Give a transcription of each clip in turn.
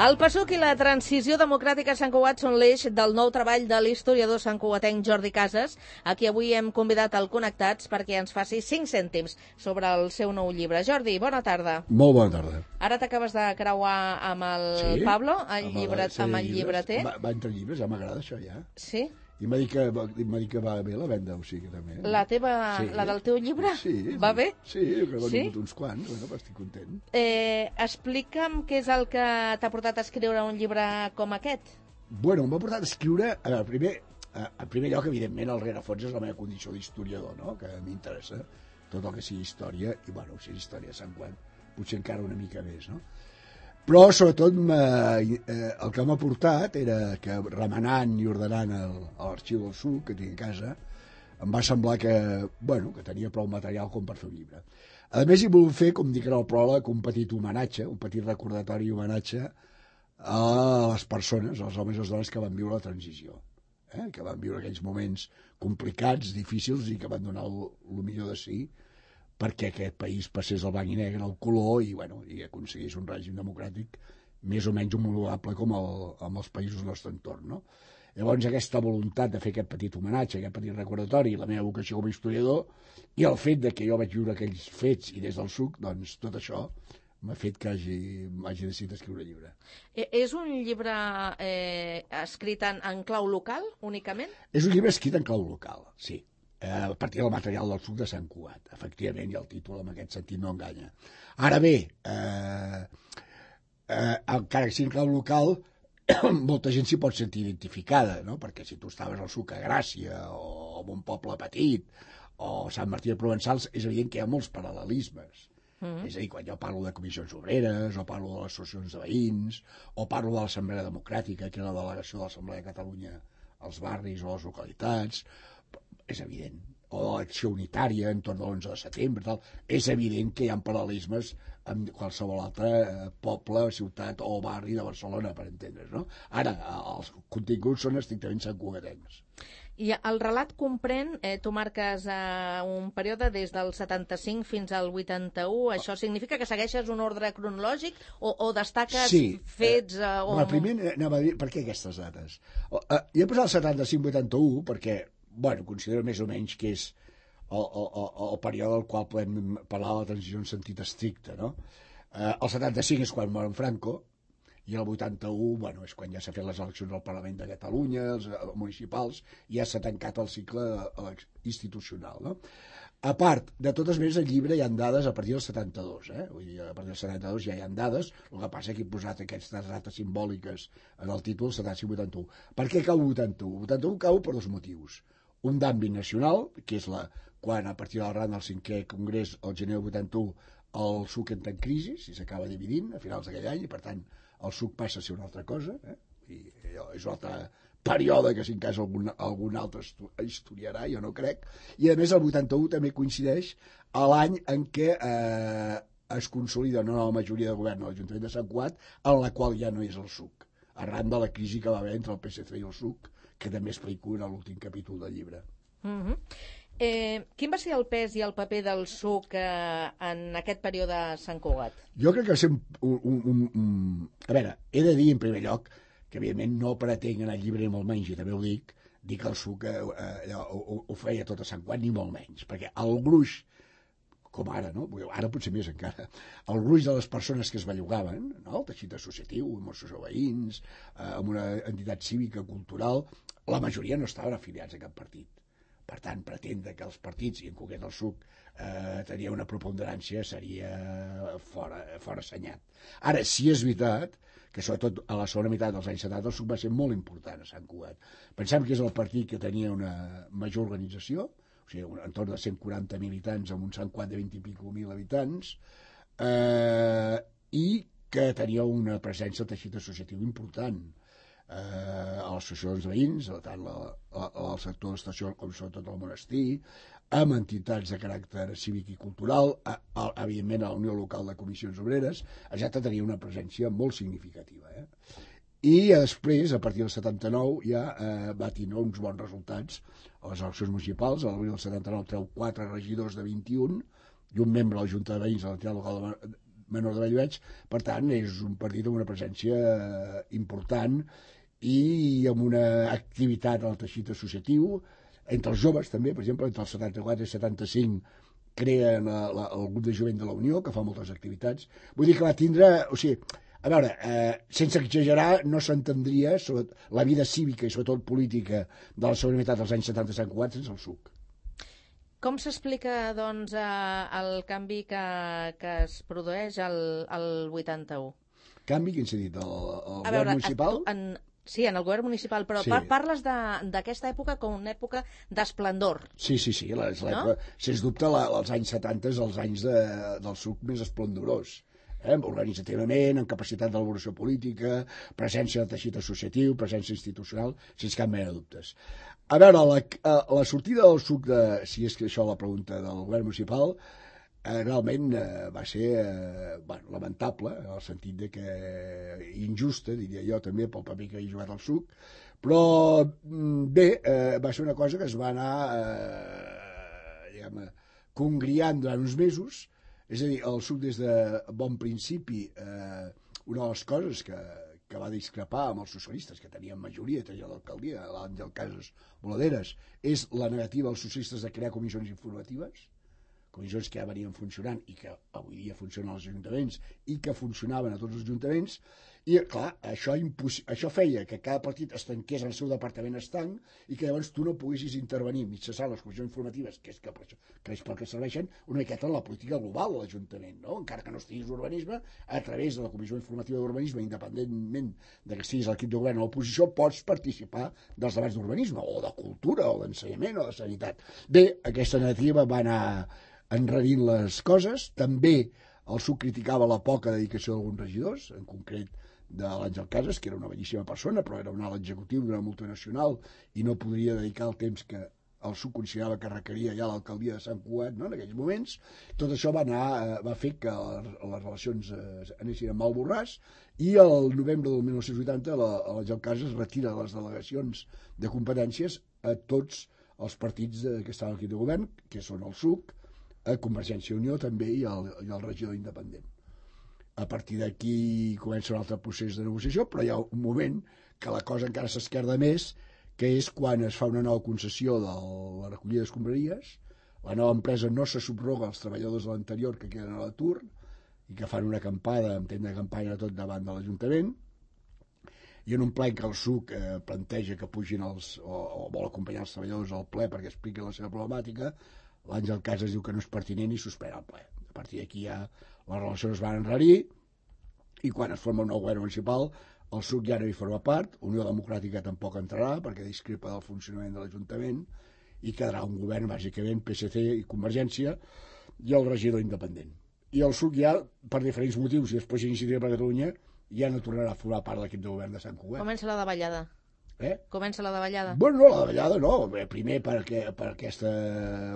El PSUC i la transició democràtica a Sant Cugat són l'eix del nou treball de l'historiador santcugatenc Jordi Casas, a qui avui hem convidat al Connectats perquè ens faci 5 cèntims sobre el seu nou llibre. Jordi, bona tarda. Molt bona tarda. Ara t'acabes de creuar amb el Pablo, amb el llibreter. Va entre llibres, ja m'agrada això, ja. Sí? I m'ha dit que va bé la venda, o sigui, també. La del teu llibre? Sí. Va bé? Sí, que n'he venut uns quants, bueno, estic content. Explica'm què és el que t'ha portat a escriure un llibre com aquest. Bueno, m'ha portat a escriure, en primer lloc, evidentment, el rerefons és la meva condició d'historiador, no?, que m'interessa tot el que sigui història, i, bueno, si és història de Sant Cugat, potser encara una mica més, no? Però, sobretot, el que m'ha portat era que, remenant i ordenant l'arxiu del SUC que tinc a casa, em va semblar que tenia prou material com per fer un llibre. A més, hi volia fer, com dic en el pròleg, un petit homenatge, un petit recordatori i homenatge a les persones, als homes i les dones que van viure la transició, que van viure aquells moments complicats, difícils i que van donar el millor de si perquè aquest país passés al blanc i negre, al color, i aconseguís un règim democràtic més o menys homologable com amb els països del nostre entorn, no? Llavors, aquesta voluntat de fer aquest petit homenatge, aquest petit recordatori, la meva vocació com a historiador, i el fet de que jo vaig viure aquells fets i des del SUC, doncs tot això m'ha fet que hagi decidit escriure un llibre. És un llibre escrit en clau local, únicament? És un llibre escrit en clau local, sí. A partir del material del SUC de Sant Cugat, efectivament, i el títol en aquest sentit no enganya. Ara bé, encara que sigui en clau local, molta gent s'hi pot sentir identificada, no? Perquè si tu estaves al SUC a Gràcia, o en un poble petit, o Sant Martí de Provençals, és evident que hi ha molts paral·lelismes. És a dir, quan jo parlo de comissions obreres, o parlo de les associacions de veïns, o parlo de l'Assemblea Democràtica, que és la delegació de l'Assemblea de Catalunya als barris o a les localitats, és evident, o de l'acció unitària entorn de l'11 de setembre, tal. És evident que hi ha paral·lelismes amb qualsevol altre poble, ciutat o barri de Barcelona, per entendre's, no? Ara, els continguts són estrictament santcugatencs. I el relat comprèn, tu marques un període des del 75 fins al 81, això significa que segueixes un ordre cronològic o destaques fets? Primer anava a dir, per què aquestes dates? Jo he posat el 75-81 perquè considero més o menys que és el període al qual podem parlar de la transició en sentit estricte, no? El 75 és quan mor en Franco, i el 81, és quan ja s'ha fet les eleccions al Parlament de Catalunya, els municipals, i ja s'ha tancat el cicle institucional, no? A part, de totes maneres, al llibre hi ha dades a partir del 72, Vull dir, a partir del 72 ja hi ha dades, el que passa que he posat aquestes dates simbòliques en el títol 75-81. Per què cau 81? 81 cau per dos motius. Un d'àmbit nacional, que és quan a partir del ran del 5è Congrés, el gener del 81, el SUC entra en crisi, i s'acaba dividint a finals d'aquell any, i per tant el SUC passa a ser una altra cosa, i és un altre període que si en cas algun altre historiarà, jo no crec, i a més el 81 també coincideix a l'any en què es consolida una nova majoria de govern a l'Ajuntament de Sant Cugat, en la qual ja no és el SUC, arran de la crisi que va haver entre el PSC i el SUC, que també explico en l'últim capítol del llibre. Quin va ser el pes i el paper del SUC en aquest període a Sant Cugat? Jo crec que va ser A veure, he de dir en primer lloc que evidentment no pretenc en el llibre ni molt menys, i també ho dic que el SUC ho feia tot a Sant Cugat, ni molt menys, perquè el gruix, com ara, no? Ara potser més encara, el gruix de les persones que es bellugaven, no? El teixit associatiu, amb associació veïns, amb una entitat cívica, cultural, la majoria no estaven afiliats a cap partit. Per tant, pretendre que els partits, i en concret el SUC, tenia una preponderància seria fora assenyat. Ara, sí és veritat que sobretot a la segona meitat dels anys 70 el SUC va ser molt important a Sant Cugat. Pensem que és el partit que tenia una major organització, o sigui, entorn de 140 militants amb un Sant Cugat de 20 i pico mil habitants, i que tenia una presència al teixit associatiu important, a les associacions de veïns, tant al sector de l'estació com sobretot al monestir, amb entitats de caràcter cívic i cultural, evidentment a la Unió Local de Comissions Obreres, ja tenia una presència molt significativa. I després, a partir del 79, ja va tenir uns bons resultats a les eleccions municipals. A l'abril del 79 treu 4 regidors de 21 i un membre de la Junta de Veïns de l'entitat local menor de Bellveig, per tant és un partit amb una presència important i amb una activitat al teixit associatiu, entre els joves també, per exemple, entre els 74 i 75 creen el grup de jovent de la Unió, que fa moltes activitats. Vull dir que va tindre... O sigui, a veure, sense exagerar, no s'entendria la vida cívica i sobretot política de la segona meitat dels anys 70 a Sant Cugat sense el SUC. Com s'explica, doncs, el canvi que es produeix al 81? Canvi, quin s'ha dit? El govern municipal? Sí, en el govern municipal, però sí. Parles d'aquesta època com una època d'esplendor. Sí, no? Sens dubte els anys 70 és els anys del SUC més esplendorós. Organitzativament, amb capacitat d'elaboració política, presència del teixit associatiu, presència institucional, sense cap mena de dubtes. A veure, la sortida del SUC, si és que això la pregunta del govern municipal, realment va ser lamentable, en el sentit de que injusta, diria jo també, pel paper que havia jugat el SUC, però bé, va ser una cosa que es va anar congriant durant uns mesos. És a dir, el SUC des de bon principi, una de les coses que va discrepar amb els socialistes, que tenien majoria, tenia l'alcaldia, l'Àngel Casas Boladeres, és la negativa als socialistes de crear comissions informatives, comissions que ja venien funcionant i que avui dia funcionen als ajuntaments i que funcionaven a tots els ajuntaments, i clar, això feia que cada partit es tanqués en el seu departament estanc i que llavors tu no poguessis intervenir mitjançant les comissions informatives, que és pel que serveixen, una miqueta en la política global de l'Ajuntament, no? Encara que no estiguis urbanisme, a través de la comissió informativa d'urbanisme, independentment de que estiguis a l'equip de govern o a l'oposició, pots participar dels debats d'urbanisme, o de cultura, o d'ensenyament, o de sanitat. Bé, aquesta negativa va anar enredint les coses. També el SUC criticava la poca dedicació d'alguns regidors, en concret de l'Àngel Casas, que era una bellíssima persona, però era un alt executiu d'una multinacional i no podria dedicar el temps que el SUC considerava que requeria ja l'alcaldia de Sant Cugat, no?, en aquells moments. Tot això va fer que les relacions anessin amb mal borràs, i el novembre del 1980 l'Àngel Casas retira les delegacions de competències a tots els partits que estaven aquí de govern, que són el SUC, a Convergència i Unió també, i el regidor independent. A partir d'aquí comença un altre procés de negociació, però hi ha un moment que la cosa encara s'esquerda més, que és quan es fa una nova concessió de la recollida d'escombraries. La nova empresa no se subroga als treballadors de l'anterior que queden a l'atur i que fan una acampada, en temps de campanya, tot davant de l'Ajuntament, i en un ple que el SUC planteja que pugin o vol acompanyar els treballadors al ple perquè expliquin la seva problemàtica, l'Àngel Casas diu que no és pertinent i suspèn el ple. A partir d'aquí ja les relacions es van enrarir, i quan es forma un nou govern municipal el SUC ja no hi forma part, Unió Democràtica tampoc entrarà perquè discrepa del funcionament de l'Ajuntament, i quedarà un govern bàsicament PSC i Convergència i el regidor independent. I el SUC ja, per diferents motius, i després Iniciativa per Catalunya, ja no tornarà a formar part de l'equip de govern de Sant Cugat. Comença la davallada. Comença la davallada. Bueno, no, la davallada no. Primer per aquesta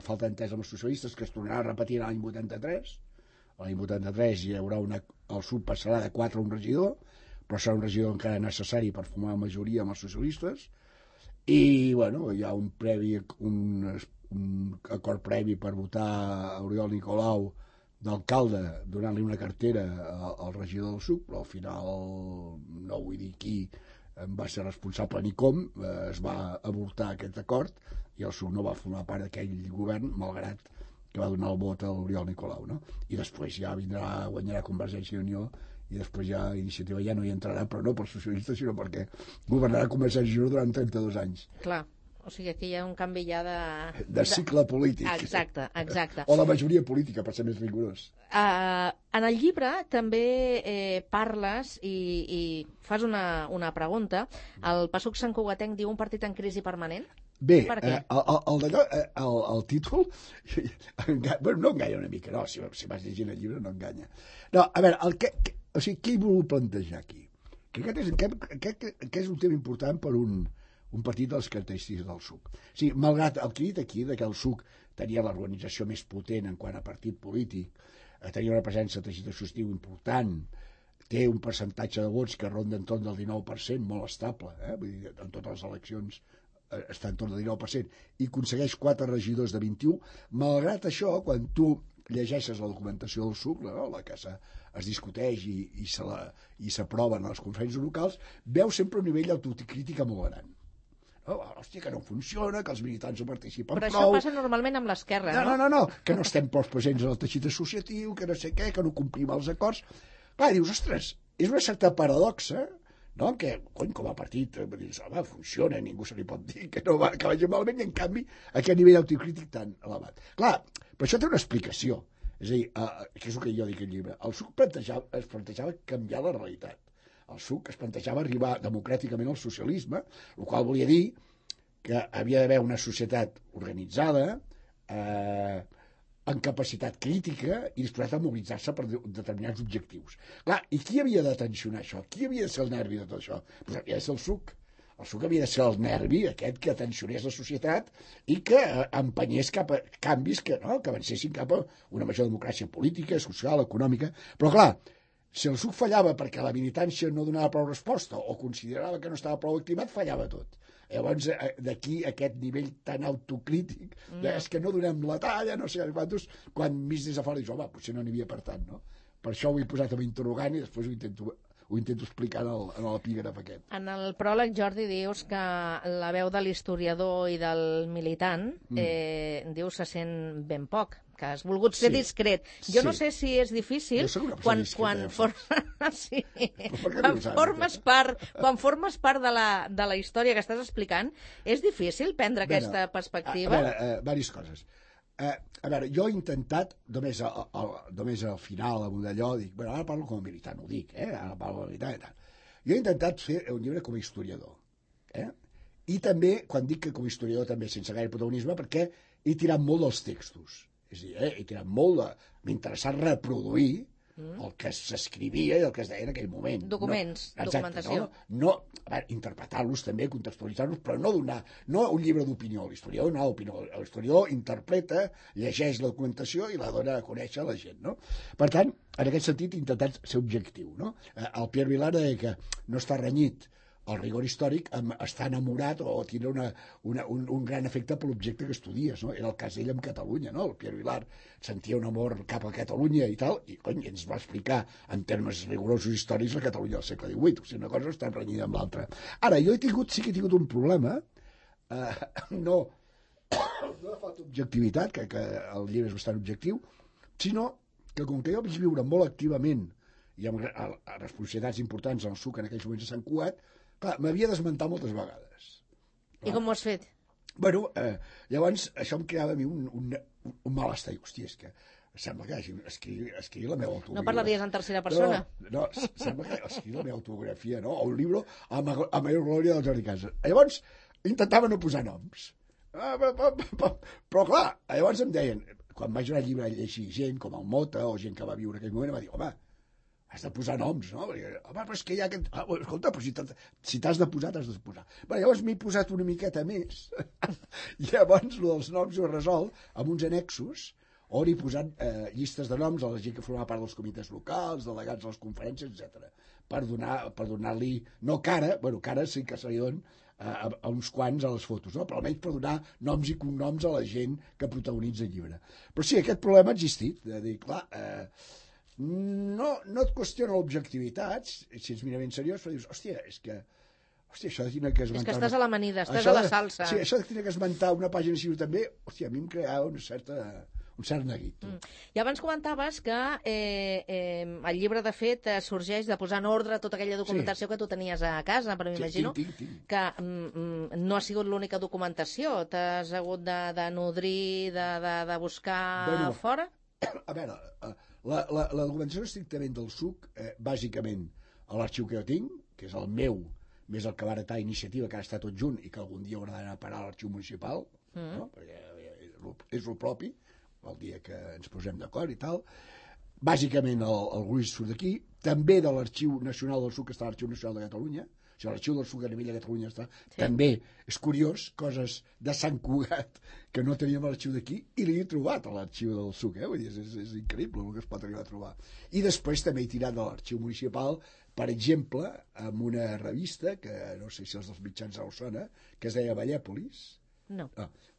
falta d'entesa amb els socialistes, que es tornarà a repetir l'any 83. L'any 83 hi haurà el SUC passarà de 4 a un regidor, però serà un regidor encara necessari per formar majoria amb els socialistes. I, bueno, hi ha un acord previ per votar a Oriol Nicolau d'alcalde, donant-li una cartera al regidor del SUC, però al final no vull dir qui va ser responsable ni com, es va avortar aquest acord i el SUC no va formar part d'aquell govern, malgrat que va donar el vot a l'Oriol Nicolau, no? I després ja guanyarà Convergència i Unió, i després ja Iniciativa ja no hi entrarà, però no pels socialistes, sinó perquè governarà Convergència i Unió durant 32 anys. Clar. O sigui, aquí hi ha un canvi ja de cicle polític. Exacte. O de majoria política, per ser més rigorós. En el llibre també parles i fas una pregunta. El PASUC santcugatenc diu un partit en crisi permanent? Bé, el títol no enganya una mica, no, si vas llegint el llibre no enganya. No, a veure, què hi voleu plantejar aquí? Que aquest és un tema important per un partit de les característiques del SUC. Sí, malgrat el que he dit aquí, que el SUC tenia l'organització més potent en quant a partit polític, tenia una presència de teixit associatiu important, té un percentatge de vots que ronda entorn del 19%, molt estable, vull dir, en totes les eleccions està entorn del 19%, i aconsegueix 4 regidors de 21. Malgrat això, quan tu llegeixes la documentació del SUC, no? La que es discuteix i s'aproven a les conferències locals, veus sempre un nivell d'autocrítica molt gran. Oh, hòstia, que no funciona, que els militants no participen Però prou... això passa normalment amb l'esquerra, no? No, que no estem prou presents en el teixit associatiu, que no sé què, que no complim els acords... Clar, dius, ostres, és una certa paradoxa, no? Que, cony, com a partit, dius, home, funciona, ningú se li pot dir que no va, que vagi malament, i en canvi, aquest nivell autocrític tan elevat. Clar, però això té una explicació. És a dir, que és el que jo dic al llibre. El SUC es plantejava canviar la realitat. El SUC es plantejava arribar democràticament al socialisme, el qual volia dir que havia d'haver una societat organitzada, amb capacitat crítica i disposat a mobilitzar-se per determinats objectius. Clar, i qui havia de tensionar això? Qui havia de ser el nervi de tot això? Pues havia de ser el SUC. El SUC havia de ser el nervi aquest que tensionés la societat i que empenyés cap a canvis que avancessin cap a una major democràcia política, social, econòmica. Però clar, si el SUC fallava perquè la militància no donava prou resposta o considerava que no estava prou activat, fallava tot. Llavors, d'aquí aquest nivell tan autocrític, és que no donem la talla, no sé quantos, quan mig des de fora dius, home, potser no n'hi havia per tant, no? Per això ho he posat amb interrogant i després ho intento explicar en l'epígraf aquest. En el pròleg, Jordi, dius que la veu de l'historiador i del militant dius se sent ben poc, que has volgut ser discret. Jo no sé si és difícil quan formes part de la història que estàs explicant, és difícil prendre aquesta perspectiva? A veure, diverses coses. A veure, jo he intentat, només al final, amb allò, dic, bueno, ara parlo com a militant, ho dic, ara parlo com a militant i tal. Jo he intentat fer un llibre com a historiador, i també, quan dic que com a historiador també sense gaire protagonisme, perquè he tirat molt dels textos. És a dir, he tirat molt de... M'ha interessat reproduir el que s'escrivia i el que es deia en aquell moment. Documents, documentació. No, a veure, interpretar-los també, contextualitzar-los, però no donar, no un llibre d'opinió. L'historiador no opinió. L'historiador interpreta, llegeix la documentació i la dona a conèixer a la gent, no? Per tant, en aquest sentit, he intentat ser objectiu, no? El Pierre Vilar deia que no està renyit el rigor històric està enamorat o tindrà un gran efecte per l'objecte que estudies, no? Era el cas d'ell amb Catalunya, no? El Pierre Vilar sentia un amor cap a Catalunya i tal, i cony, ens va explicar en termes rigorosos històrics la Catalunya del segle XVIII, o sigui, una cosa està renyida amb l'altra. Ara, jo sí que he tingut un problema, no de falta d'objectivitat, que el llibre és bastant objectiu, sinó que com que jo vaig viure molt activament i amb responsabilitats importants al SUC en aquells moments a Sant Cugat, clar, m'havia d'esmentar moltes vegades. I com ho has fet? Bueno, llavors això em creava a mi un malestar. Hòstia, és que sembla que escrigui la meva autobiografia. No parlaries en tercera persona? No, sembla que escrigui la meva autobiografia, no? O un llibre a major glòria del Jordi Casas. Llavors, intentava no posar noms. Però clar, llavors em deien, quan vaig donar llibre a llegir gent com el Mota o gent que va viure en aquell moment, em va dir, home, has de posar noms, no? Perquè, home, però és que hi ha aquest... escolta, però si t'has de posar, t'has de posar. Bé, llavors m'he posat una miqueta més. I llavors, el dels noms ho he resolt amb uns annexos on he posat llistes de noms a la gent que formava part dels comitès locals, delegats a les conferències, etc. Per donar-li... No cara, bueno, cara sí que se li don a uns quants a les fotos, no? Però almenys per donar noms i cognoms a la gent que protagonitza el llibre. Però sí, aquest problema ha existit, de dir, clar... No et qüestiona l'objectivitat, si ets minament seriós, però dius, hòstia, això de tenir que esmentar... És que estàs a l'amanida, estàs a la salsa. Sí, això de tenir que esmentar una pàgina així també, hòstia, a mi em creava un cert neguit. I abans comentaves que el llibre, de fet, sorgeix de posar en ordre tota aquella documentació que tu tenies a casa, però m'imagino que no ha sigut l'única documentació. T'has hagut de nodrir, de buscar fora? A veure... La documentació estrictament del SUC, bàsicament a l'arxiu que jo tinc, que és el meu, més el que va heretar Iniciativa, que ara està tot junt i que algun dia haurà d'anar a parar a l'arxiu municipal, no? Perquè és el propi, el dia que ens posem d'acord i tal. Bàsicament el gruix surt d'aquí, també de l'Arxiu Nacional del SUC, que està a l'Arxiu Nacional de Catalunya. O sigui, l'arxiu del SUC a nivell de Catalunya està... Sí. També és curiós, coses de Sant Cugat que no teníem a l'arxiu d'aquí i l'he trobat a l'arxiu del SUC, Vull dir, és increïble el que es pot arribar a trobar. I després també he tirat de l'arxiu municipal, per exemple, amb una revista, que no sé si els dels mitjans us sona, que es deia Vallèpolis. No.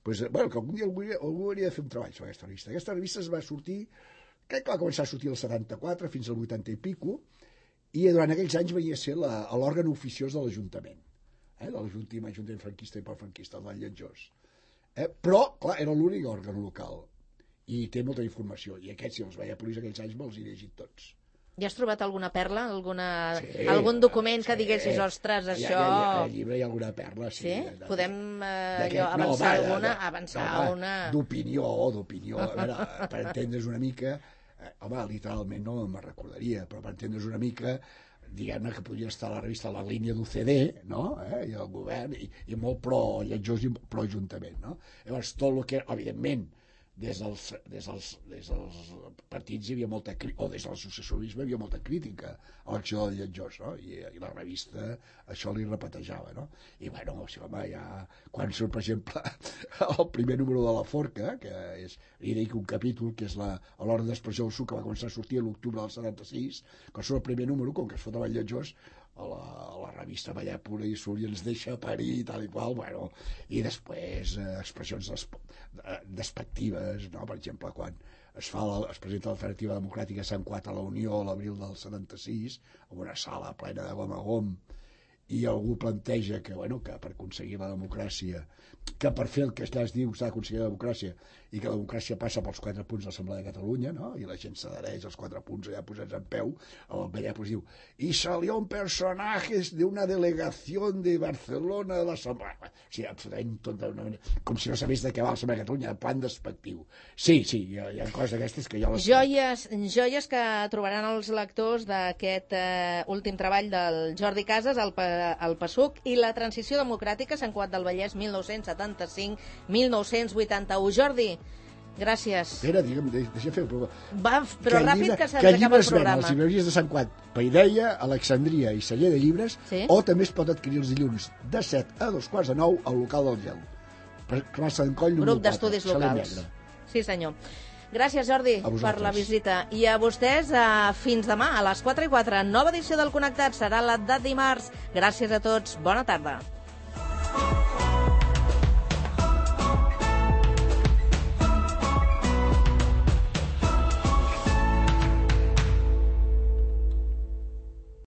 Bueno, que algun dia algú hauria de fer un treball sobre aquesta revista. Aquesta revista es va sortir, crec que va començar a sortir el 74 fins al 80 i pico, i durant aquells anys venia a ser l'òrgan oficiós de l'Ajuntament, de l'Ajuntament franquista i post-franquista, el del Lletjós. Però, clar, era l'únic òrgan local, i té molta informació, i aquests, si els veia polís aquells anys, me'ls he llegit tots. Ja has trobat alguna perla? Algun document que diguessis, ostres, això... Al llibre hi ha alguna perla, sí. Sí? Podem avançar una... D'opinió. A veure, per entendre's una mica... Home, literalment no me'n recordaria, però per entendre's una mica, diguem-ne que podria estar a la revista la línia d'UCD, no? I el govern, i molt pro-Lletjós i pro-Ajuntament, no? Llavors, tot el que, evidentment, des dels partits hi havia molta crítica, o des de l'associacionisme hi havia molta crítica a l'acció del Lletjós, no? I la revista això li repetejava, no? I bueno, o sigui, home, ja quan surt, per exemple, el primer número de La Forca, que és, li dic un capítol, que és l'Hora d'Expressió del Suc, que va començar a sortir a l'octubre del 76, quan surt el primer número, com que es fot amb el Lletjós, a la revista Ballar Pura i Surt i ens deixa parir i tal i qual, bueno, i després expressions despectives, no? Per exemple, quan es presenta l'Alternativa Democràtica a Sant Cuat a la Unió a l'abril del 76, en una sala plena de gom a gom, i algú planteja que, bueno, que per aconseguir la democràcia, que per fer el que allà es diu s'ha d'aconseguir la democràcia, i que la democràcia passa pels 4 punts de l'Assemblea de Catalunya, no? I la gent s'adhereix als 4 punts allà posats en peu, el Ballar diu, i salió un personatge d'una delegació de Barcelona de l'Assemblea. O sigui, absolutament tot com si no sabés de què va l'Assemblea de Catalunya, de plan despectiu. Sí, hi ha coses d'aquestes que jo les... Joies que trobaran els lectors d'aquest últim treball del Jordi Casas, el PSUC i la transició democràtica, Sant Cugat del Vallès, 1975-1981. Jordi, gràcies. Espera, deixa fer el programa. Però ràpid, que se'ns acaba el programa. Les llibreries de Sant Cugat, Paideia, Alexandria i Celler de Llibres, sí? O també es pot adquirir els dilluns de 7 a 2:45 al local del Gel. Plaça d'en Coll, número 4. Grup d'estudis locals. Sí, senyor. Gràcies, Jordi, per la visita. I a vostès, fins demà, a les 4:04. Nova edició del Connectat serà la de dimarts. Gràcies a tots. Bona tarda.